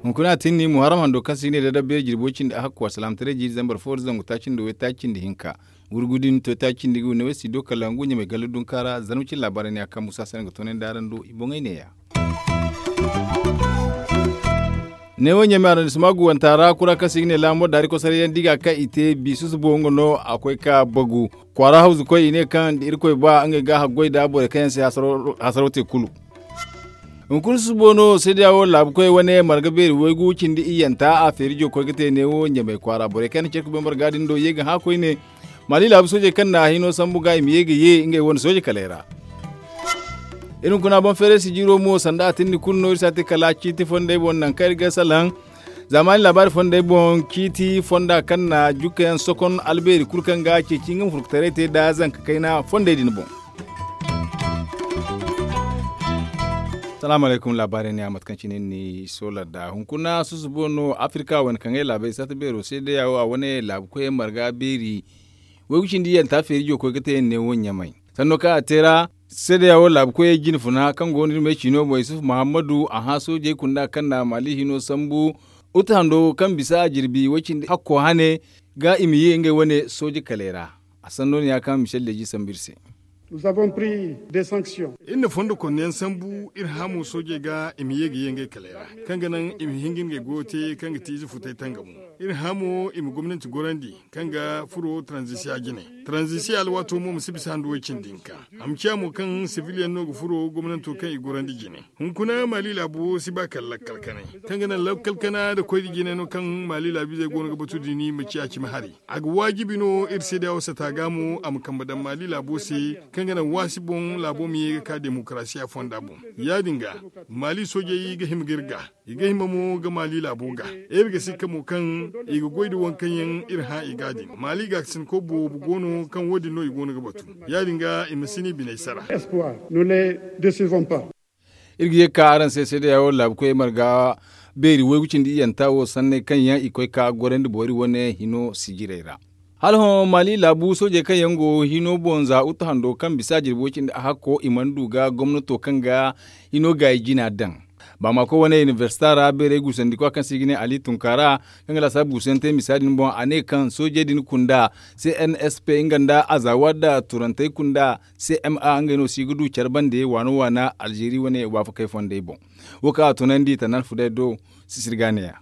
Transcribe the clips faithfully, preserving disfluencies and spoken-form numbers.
Hunkuna a tinni muharram hando kaŋ se i ga ne da dabbeeri jirbi way cindi a hakku alsalaamataray jiiri zambar fo da zangu taaci nda way taaci nda hinka. Wurgu din to taaci nda ga wane way si do kala ngu ɲamay galla dunka ra zarma cine laabaarey ne a kaŋ musa sanda ga toonandi araŋ do i boŋey neeya. Neewo ɲamay araŋ da sima guwanta ra kura kaŋ se i ga ne laamo daari kosaray yaŋ da i ga kaŋ i te biisu subo nga no a koy ka bagu. Kwaara hawzu koy i ne kaŋ da irkoy ba ngey ga haggoy nda borey kaŋ yaŋ se hasaro te kulu. Hunkuna susubo no seedeya wo laabu koy wane marga beeri waygu cindi iyyanta a feeri jo koy ga te neewo ɲamay kwaara borey kaŋ yaŋ na care ka bay marga din do ye ga hã koyne. Maali laabu soojey kaŋ na hino sambu ga i ma ye ga ye ngey wane sooje kaley ra. Iri hunkuna boŋ feeray sijiro mo sanda a tindi kulu no iri si a te kala ciiti fondey boŋ nangu kaŋ iri ga salaŋ. Zaamaani laabaari fondey boŋ ciiti fonda kaŋ na jukka yaŋ sokon albeeri kulu kaŋ ga ceeci nga ma furkutaray te nda zanka kayna fondey din boŋ. Salaamu alaykum laabaarey ne a mate kaŋ cine ni soola nda hunkuna susubo no afirka wane kaŋ ay laabey saata beero se day a wo a wane laabu koyey marga beeri. Waygu cindi yaŋ ta feeri jo koy ga te yaŋ ne wo ɲamay sanno kaŋ a te ra. Seedeya wo laabu koyey jine funa kaŋ go no iri ma ay ciino boŋ yusuf muhammadu a hã soojey kunda kaŋ na maali hino sambu. Uta hando kaŋ bisa a jirbi way cindi hakko hane ga i ma ye ngey wane sooje kaley ra. A sanno no ya kaŋ michel leji sambu iri se. Iri na fondo konno yaŋ sambu iri hã mo soojey ga i ma ye ga ye ngey kaley ra kaŋ ga naŋ i ma hin ga ngey goyo te kaŋ ga ti ize futay tangamo. Iri hã mo i ma gomnanti gorandi kaŋ ga furo taranzisiya jine. Taranzisiya alwaato mo ma si bisa handu way cindi hinka. A ma ciya mo kaŋ sibiliyaŋ no ga furo gomnanto kaŋ i gorandi jine. Hunkuna maali laabo si ba kala lakkal kanay kaŋ ga naŋ lakkal kana nda koydi jine no kaŋ maali laabiizey go no ga batu dini ma ciya cimi hari. A ga waajibi no iri se day a wasata ga mo a ma kambe daŋ maali laabo se kaŋ ga naŋ waasi boŋ laabo ma ye ga ka demokarasiya fonda boŋ. Ya- din ga maali soojey ga hima ga iri ga i ga hima mo ga maali laabo ga. Iri ga sikka mo kaŋ i ga goy nda waŋ kaŋ yaŋ iri hã i ga din maali gaakasinko boobo go no kaŋ wo- din no i go no ga batu. Ya- din ga i ma si ni biney sara. Iri ga ye ga ka araŋ se seedeya wo laabu koyey marga beeri waygu cindi iyyanta wo sanney kaŋ yaŋ i koy ka gorandi boori wane hino sijirey ra. Hala hõ maali laabu soojey kaŋ yaŋ go hino boŋ za uta hando kaŋ bisa jirbi way cindi a hakko i mana du ga gomnato kaŋ ga hino gaayi jina daŋ. Baamako wane inibersita ra beerey guusandikwa kaŋ se i ga ne ali tunkaara kaŋ ga laasaabu guusu yaŋ te misa din boŋ a ne kaŋ soojey din kunda cnsp nga nda azawa nda turantey kunda cma ngey no si ga du care bande waana waana alzeeri wane waafakey fondey boŋ. Wo kaŋ a tunandi tanaal fuday do sisiri ga neeya.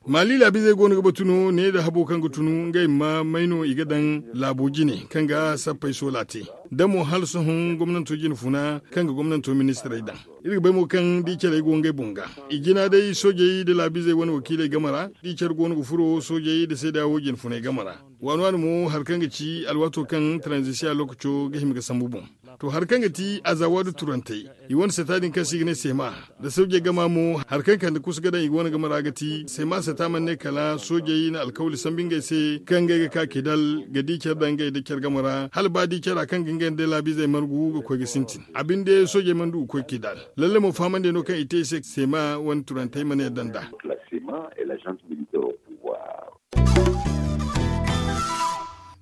Maali laabiizey go no ga batu no ne nda habo kaŋ ga tunu ngey ma may no i ga daŋ laabo jine kaŋ ga sappey soola te. Da mo hala sohõ gomnanto jine funa kaŋ ga gomnanto ministirey daŋ. Iri ga bay mo kaŋ da i carey go ngey boŋ ga i jina day soojey nda laabiizey wane wakiiley game ra. Da i care go no ga furo soojey nda seeda wo jine funey game ra. Waani waani mo hari kaŋ ga ci alwaato kaŋ taranzisiya lookaco ga hima ga sambu boŋ. To hari kaŋ ga ti azawa nda turantey i wane sata din kaŋ se i ga ne seema nda soojey gama mo hari kaŋ kande kusa ga daŋ i ga wane game ra ga ti seema sata mana ne kala soojey na alkawli sambu ngey se kaŋ ngey ga ka kidal ga di care daŋ ngey nda care game ra hala ba di cara kaŋ ga ngey nda laabiizey margu ga koy ga sintin a binde soojey mana du ga koy kidal. Lalle mo fahamandey no kaŋ i te i se seema wane turantey mana yadda nd'a.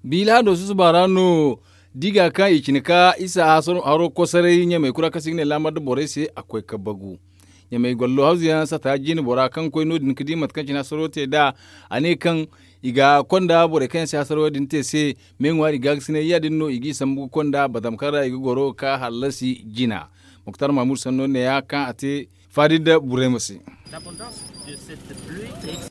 Biila do susuba ra no diga kaŋ i cine ka isa haro kosaray ɲamay kura kaŋ se i ga ne laamar da borey se a koy ka bagu. Ɲamay gollo hawzu yaŋ sata jine bora kaŋ koy no- din ga di mate kaŋ cine hasaro te nd'a. A ne kaŋ i ga konda borey kaŋ yaŋ se hasaro din te se me ŋwaari gaagasinay ya- din no i g'i sambu ga konda batam kaŋ ra i ga goro ga ka hallasi jina. Muktar mahmud sanno neeya kaŋ a te faadi nda burayma se.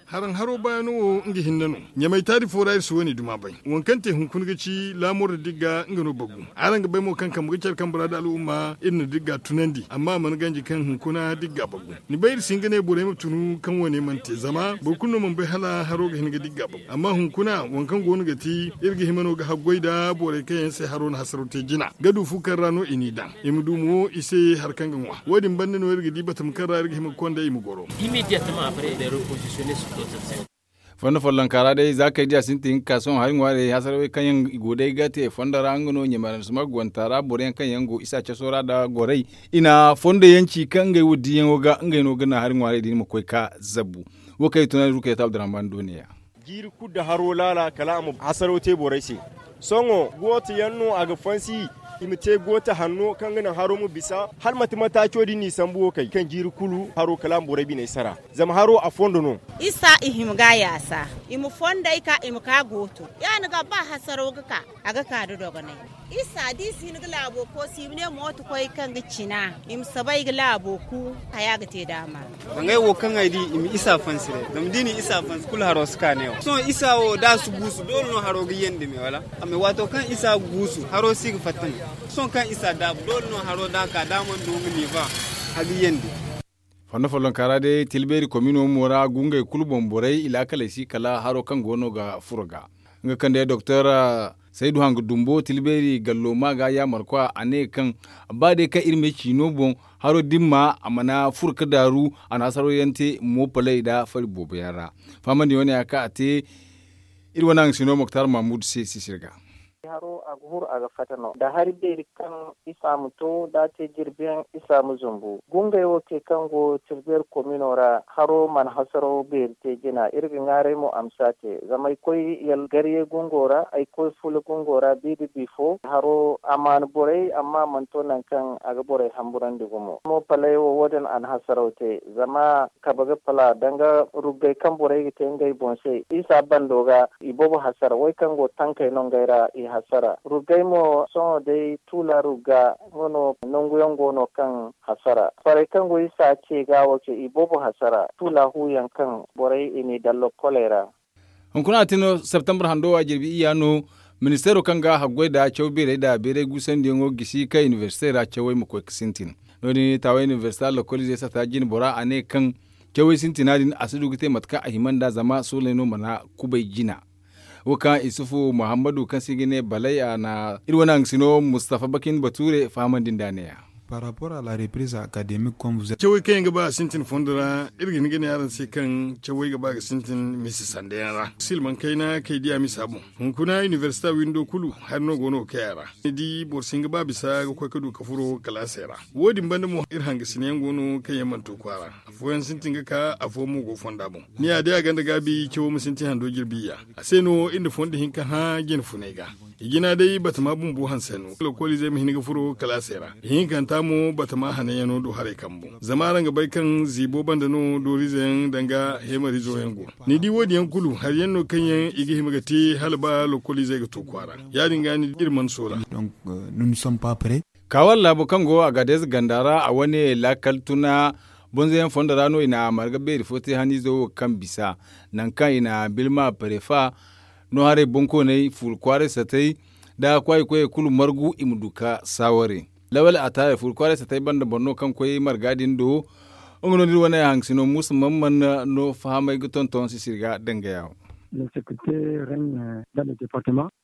Haraŋ haro bayaano wo nga hinne no. Ɲamay taari fo ra iri si wo-ne duma bay. Waŋ kaŋ te hunkuna ga ci laamor da digga nga no bagu. Araŋ ga bay mo kaŋ kambe ga care kambe ra nda al'umma iri na digga tunandi amma a mana ganji kaŋ hunkuna digga bagu. Ni bay iri si hin ga ne borey ma tunu kaŋ wo-ne mana te zama boro kulu no mana bay hala haro ga hin ga digga bagu amma hunkuna waŋ kaŋ go no ga ti iri ga hima no ga haggoy nda borey kaŋ yaŋ se haro na hasaro te jina ga du fu kaŋ ra no i n'i daŋ i ma du mo i se hari kaŋ ga ŋwa. Wo- din banda no iri ga di batama kaŋ ra iri ga hima ga konda i ma goro. Fondo follonka ra day za kay diya sintin ga ka sohõ hari ŋwaarey hasarawey kaŋ yaŋ i go day ga te fondo ra nga no ɲamay aransuma ga wanta ra boro yaŋ kaŋ yaŋ go isa caso ra nda gorey i na fondo yaŋ ci kaŋ ngey wo diyaŋo ga ngey no ga naŋ hari ŋwaarey din ma koy ka zabbu. Wo kaŋ i tunandi rukayta abdurrahman do ne-ya. Jiiri kulu nda haro laala kala a ma hasaraw te borey se. Sohõ gooto yaŋ no a ga fansi i ma te gooto hanno kaŋ ga naŋ haro ma bisa hala mate mataaco din no i sambu wo kay kaŋ jiiri kulu haro kala a ma borey biney sara. Zama haro a fondo no. Isa i hima ga a yaasa i ma fondey ka i ma ka gooto. Ya- din ga ba hasaraw ga ka a ga ka nda dogonay. Isa da i si hin ga laabo koosi i ma ne mooto koy kaŋ ga cina i ma saba i ga laabo ku. Haya ga te daama. Dangay wo kaŋ ay di i ma isa fansi day zama da i na isa fansi kulu haro si ka neewo sohõ isa wo da a si guusu doole no haro ga yandi me wala. Amma waato kaŋ isa ga guusu haro si ga fatta me. Sohõ kaŋ isa daabu doole no haro da a ka da a mana du nga niiva a ga yandi. Fondo follonka ra day tilbeeri komino mo ra gungey kulu boŋ borey i laakaley si kala haro kaŋ go no ga furo ga. Nga kaŋ day doktor saydu hanga dumbo tilbeeri gallo ma ga yaamarkwa a ne kaŋ ba day kaŋ iri ma ciino boŋ haro dimma a mana furo ga daaru a na hasaro yaŋ te moopaley nda fari boobo yaŋ ra. Fahamandi wane ya kaŋ a te iri wane haŋ sino moktar mahmud se sisir ga. Haro a ga huru a ga fatta no da hari beeri kaŋ isa ma to da a te jirbi yaŋ isa ma zumbu gungey wo te kaŋ go tilbeeri komino ra haro mana hasaraw beeri te jina iri ga ŋwaaray mo a ma si a te zama ay koy yalgarye gungo ra ay koy fula gungo ra bi da bifo haro a mana borey amma a mana to nangu kaŋ a ga borey hamburandi gumo mo palay wo wo- din a na hasaraw te zama kabe ga pala danga ruggey kaŋ borey ga te ngey boŋ se isa bando ga i boobo hasara wey kaŋ go tankey no ngey ra i hasara ruggey mo sohõ day tuula rugga nga no nangu yaŋ go no kaŋ hasara farey kaŋ go isa ce ga wo ce i boobo hasara tuula hu yaŋ kaŋ borey i n'i daŋ lokkoley ra. Hunkuna a te no septembre hando wa jirbi iyya no ministeero kaŋ ga haggoy nda caw beerey nda beeray guusandiyaŋo gisi kaŋ inibersite ra cawey ma koy ga sintin. No- din taawey inibersite lokoliizey sata jine bora a ne kaŋ cawey sintina din a si du ga te mate kaŋ a hima nd'a zama sooley no mana kubay jina. Wo kaŋ isufu muhammadu kaŋ se i ga ne balay a na iri wane haŋ sino mustafa bakin bature fahamandi nd'a ne- ya. Cawey kaŋ yaŋ ga ba a sintin fondo ra iri ga hin ga ne araŋ se kaŋ cawey ga ba ga sintin misa sanda yaŋ ra silmaŋ kayna kaŋ ay di a misa boŋ. Hunkuna inibersita windo kulu hari no go no ga kay a ra ni di boro si hin ga ba bisa ga koy ga du ga furo kalaasey ra. Wo- din banda mo iri hangasina yaŋ go no kaŋ yaŋ mana to kwaara. Afooyaŋ sintin ga ka afooyaŋ mo go fonda boŋ. Ni ya day a gonda gaabi cawo ma sintin hando jirbi iyya. A se no iri na fondo hinka hã jine funay ga. I jina day batama bumbo hanse no lokoliizey ma hin ga furo kalaasey ra. Ihinkanta mo batama hananyaŋo do haray kambu zama araŋ ga bay kaŋ ziibo banda no dooriize yaŋ danga heemariizo yaŋ go. Ni di wo- din yaŋ kulu hari yaŋ no kaŋ yaŋ i ga hima ga te hala ba lokoliizey ga to kwaara. Ya- din ga ni di iri mana soola. Kaawar laabo kaŋ go a ga deeza ganda ra a wane laakal tuna bonzoyaŋ fondo ra no i na marga beeri fo te haniizo wo kaŋ bisa nangu kaŋ i na bilma parefa no haray boŋkooney fuula kwaaray satay nda kwaayi koyey kulu margu i ma du ga saaware. Lawal a taarey fuula kwaaray satay banda boro no kaŋ koy marga din do. Nga no da iri wane haŋ sino muusa man mana no fahamay ga tonton sisiri ga dangaya wo.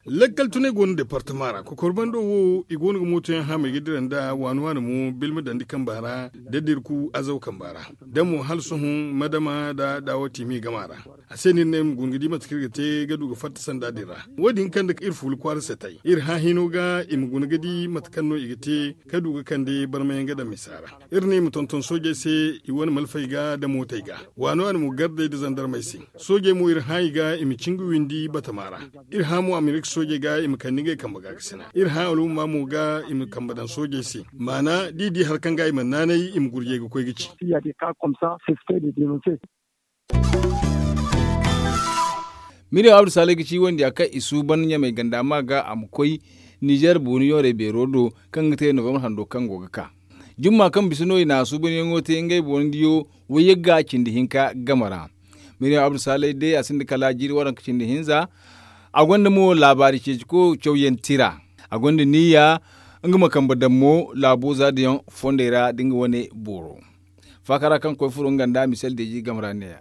Lakkal tunay go no departama ra kokor bando wo i go no ga mooto yaŋ haamay ga dira nda waani waani mo bilma dandi kamba ra da dirku azaw kamba ra da mo hala sohõ madama da daawati me gama ra. A se no iri ne iri ma guna ga di mate kaŋ iri ga te ga du ga fatta sanda din ra. Wo- din kande iri fuula kwaara se tay iri hã hino ga i ma guna ga di mate kaŋ no i ga te ka du ga kande barmayaŋ ga daŋ misa ra. Iri ne i ma tonton soojey se i wane malfey ga da mootey ga waano a na mo gardey da zandarmey se. Soojey mo iri hã i ga i ma cin ga windi batama ra. Iri hã mo amerika soojey ga i ma kande ngey kambe ga ga sina iri hã alhumma mo ga i ma kambe daŋ soojey se. Maana da i di hari kaŋ ga i mana naanay i ma gurjey ga koy ga ci. Miriyaŋ abdu saalay ga ci wondiya kaŋ i suuban ɲamay ganda ma ga a ma koy nizer booni yoorey beero do kaŋ ga te novembre hando kaŋ go ga ka. Jumma kaŋ bisa no i na a suubanyaŋo te ngey boonidiyo wayyagga cindi hinka game ra. Miriyaŋ abdu saalay day a sinda kala jiiri waranka cindi hinza. A gonda mo laabaari ceeciko cawyaŋ tira. A gonda niyya nga ma kambe daŋ mo laabo zaadiyaŋ fondey ra da nga wane booro. Faakara kaŋ koy furo nga nda misel deeji game ra neeya.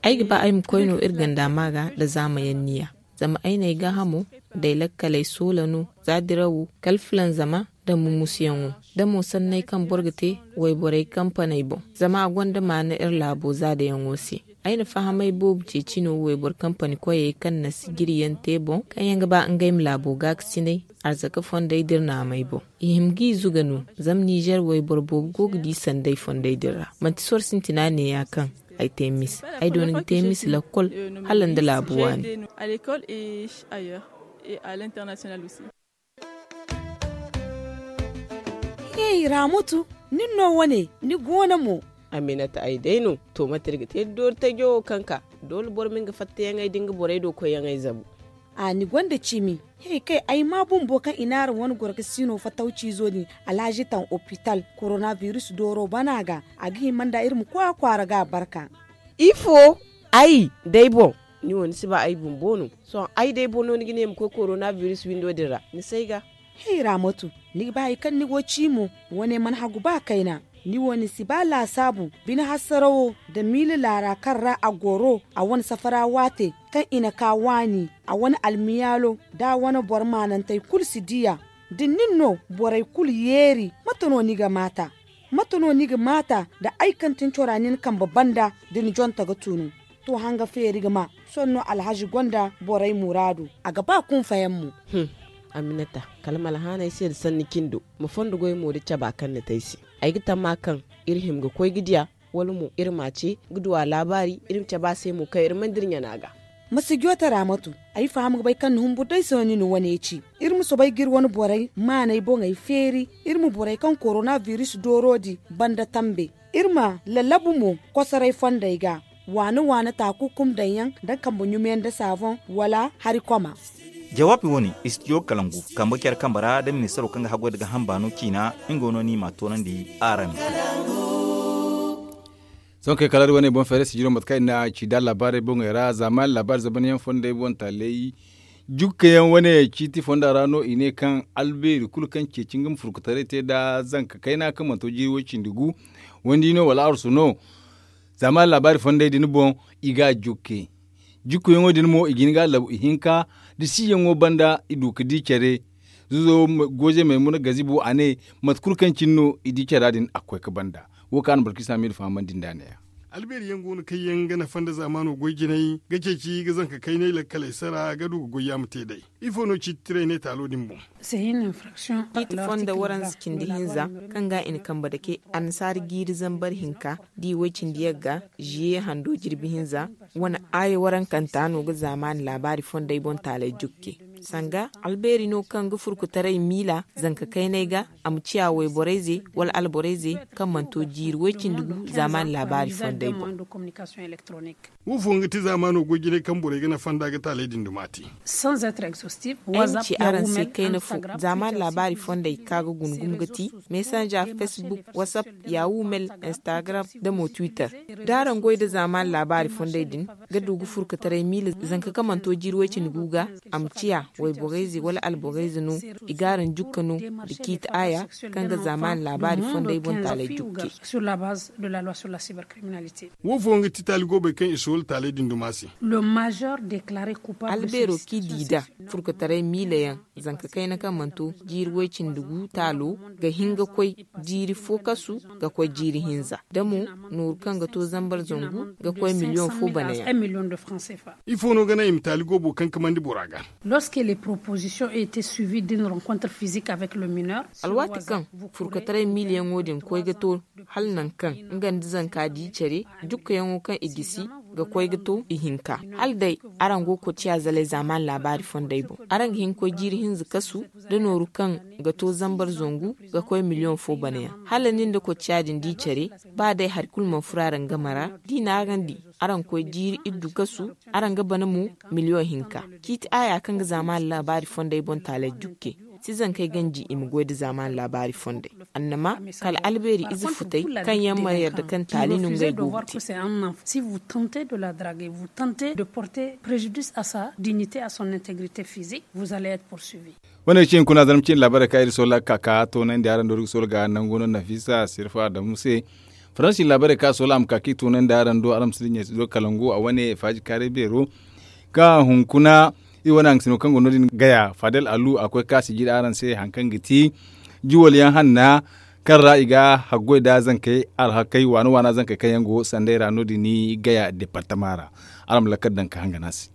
Ay ga ba ay ma koy no iri ganda ma ga nda zaamayaŋ niya. Zama ay n'ay gaahamo nda ay lakkaley soola no za dirawo kala filanzama. da mumusuyaŋo, da mo sanney kaŋ boro ga te wayborey kampaney boŋ. Zama a gonda maana iri laabo zaadayaŋo se. Ay na fahamay boobo ceeci no wayboro kampani koyey kaŋ na sijiriyaŋ te boŋ kaŋ yaŋ ga ba ngey ma laabo gaakasinay arzaka fondey da iri naamey boŋ. I hima g'i zuga no. Zama nizer wayboro boobo go ga di sanday fondey din ra, manti soro sintina neeya kaŋ ay te mise. Ay doona ga te mise lakkol hala nda laabu waani. Hey, Raamatu, nin no wane, ni goono mo? Aminata, ay day no. To, mate iri ga te da doori tajo wo kaŋ ka? Doole boro ma nga fattayaŋey da nga borey do koyyaŋey zabu. A, ni gonda cimi. Hey, kay ay ma bumbo kaŋ i naara wane goro ga siino fattawciizo din, alhaji taŋ opital, koronabiris dooro bana ga. A ga hima nda iri ma koy a kwaara ga barka. Ifo? Ay day boŋ? Ni wo ni si ba ay bumbo no? Sohõ ay day boŋ no ni ga ne ma koy koronabiris windo din ra? Ni s'ay ga. Hey, raamatu, ni ga ba hari kaŋ ni go ci mo? Wane mana hagu ba kayna. Ni wo ni si ba laasaabu bine hassarawo nda miila laara kaŋ ra a goro a wane safara waate kaŋ i na ka waani, a wane almiyaalo nda a wane boro maanantey kulu si diya. Da nin no borey kulu yeeri, mate no ni ga maata? Mate no ni ga maata nda ay kaŋ tin cora nin kambe banda da ni jonta ga tunu? To, hanga feeri ga ma. Sohõ no alhazi gonda borey muraadu, a ga ba kunfayaŋ mo. Aminata, kala ma alhaanay se nda sanni cindo, ma fondo goy mo da caba kaŋ ni te ay se. Ay ga tamma kaŋ iri hima ga koy ga diya, wala mo iri ma a ce ga du a laabaari, iri ma cabe a se mo kaŋ iri mana dira ɲana ga. Ma si joote raamatu. Ay faham ga bay kaŋ ni humbur day se no ni na wane ci. Iri ma soobay ga iri wane borey maanay boŋey feeri. Iri ma borey kaŋ koronabiris dooro din banda tambe. Iri ma lallabu mo kosoray fondey ga, waana-waana taakukum daŋ yaŋ nda kambe ɲumeyaŋ nda saaboŋ wala hari koma. Jawaabi wo-ne, istidiyo kalangu kambe care kambe ra nda ministaro kaŋ ga haggoy nda ga hamba no ciina. Nga no ni ma a toonandi araŋ. Sohõ kay kala iri wane boŋ feeray sijiro mate kaŋ i na ci da laabaarey boŋey ra zaamaani laabaari zabanyaŋ fondey boŋ taaley. Jukkayaŋ wane ciiti fonda ra no i ne kaŋ albeeri kulu kaŋ ceeci nga ma furkutaray te nda zanka kayna kaŋ mana to jiiri way-cindi gu, wandi no wala arsu no. Zaamaani laabaari fondey din boŋ i ga a jukke. Jukkuyaŋo din mo i ga hin ga a labu ihinka da siyaŋo banda i du ga di care. Zuzo goozey maymuna gazibo a ne, mate kulu kaŋ cine no i di cara din a ga koy ga banda. Wo kaŋ a na boro kaŋ i si a miila fahamandi nd'a neeya. Albeeri yaŋ go no kaŋ yaŋ ga nafa nda zaamaano goy jinay ga ceeci ga zanka kaynay lakkaley sara ga du ga goy yaama te day. Ifo no ciiti tiray ne taalo din boŋ? Ciiti fonda waranza cindi hinza kaŋ ga i na kambe dake annasaara jiiri zambar hinka da i way cindi yagga, ziye hando jirbi hinza. Wane aaya warankanta no ga zaamaani laabaari fondey boŋ taaley jukke. Sanga albeeri no kaŋ ga furkutaray miila zanka kaynay ga, a ma ciya wayborayze wala alborayze kaŋ mana to jiiri way-cindi gu zaamaani laabaari fondey boŋ. Wo fo nga ti zaamaano goy jinay kaŋ borey ga nafa nda ga taaley din duma te? Ay ma ci araŋ se kayna fo, zaamaani laabaari fondey kaŋ ga guna gumo ga ti mesanja, facebook, whatsapp, yahoo mail, instagram, nda mo twitter. Da araŋ goy nda zaamaani laabaari fondey din ga du ga furkutaray miila zanka kaŋ mana to jiiri way-cindi gu ga, a ma ciya wayborayze wala alborayze no. I ga araŋ jukka no da ciiti aaya kaŋ ga zaamaani laabaari fondey boŋ taaley jukke. Wo fo nga ti taali goobey kaŋ i soola taaley din duma se? Albeero kaŋ i di nd'a furkutaray miila yaŋ, zanka kayna kaŋ mana to jiiri way-cindi gu taalo ga hin ga koy jiiri fo kasu ga koy jiiri hinza, da mo nooru kaŋ ga to zambar zangu ga koy miliyoŋ fo bana yaŋ. Ifo no ga naŋ i ma taali goobo kaŋ kamandi bora ga? Alwaati kaŋ furkutaray miila yaŋo din koy ga to hala nangu kaŋ nga nda zanka di care, jukkayaŋo kaŋ i gisi ga koy ga to ihinka. Hala day araŋ go ga koy ciya zalay zaamaani laabaari fondey boŋ, araŋ ga hin ga koy jiiri hinza kasu da nooru kaŋ ga to zambar zangu ga koy miliyoŋ fo bana yaŋ. Hala nin nda koy ciya din di care, ba day hari kulu mana furo araŋ game ra, da i naarandi araŋ ga koy jiiri iddu kasu, araŋ ga bana mo miliyoŋ hinka. Ciiti aaya kaŋ ga zaamaani laabaari fondey boŋ taaley jukke. Si zankey ganji i ma goy nda zaamaani laabaari fondey. Annama kala albeeri ize futey kaŋ yaŋ mana yarda kaŋ taali no ngey go ga te. Si vous tentez de la draguer, vous tentez de porter préjudice à sa dignité, à son intégrité physique, vous allez être poursuivi. Wane cine kuna zarma cine laabaarey kaŋ iri soola ga ka ka toonandi araŋ do iri ga soola ga nangu no nafisa sirfa adamu se. Faransi laabaarey kaŋ a soola a ma ka ka i toonandi araŋ do araŋ ma si dinya do kalangu a wane faaji kaaray beero. Ka hunkuna iri wane hangasino kaŋ go no- din gaya fadel alu a koy ka sijiri araŋ se hari kaŋ ga ti juwal yaŋ hanna kaŋ ra i ga haggoy nda zankey alhakey waana waana zankey kaŋ yaŋ go sanday ra no- din gaya departama ra. Araŋ ma lakkal daŋ ka hangan a se.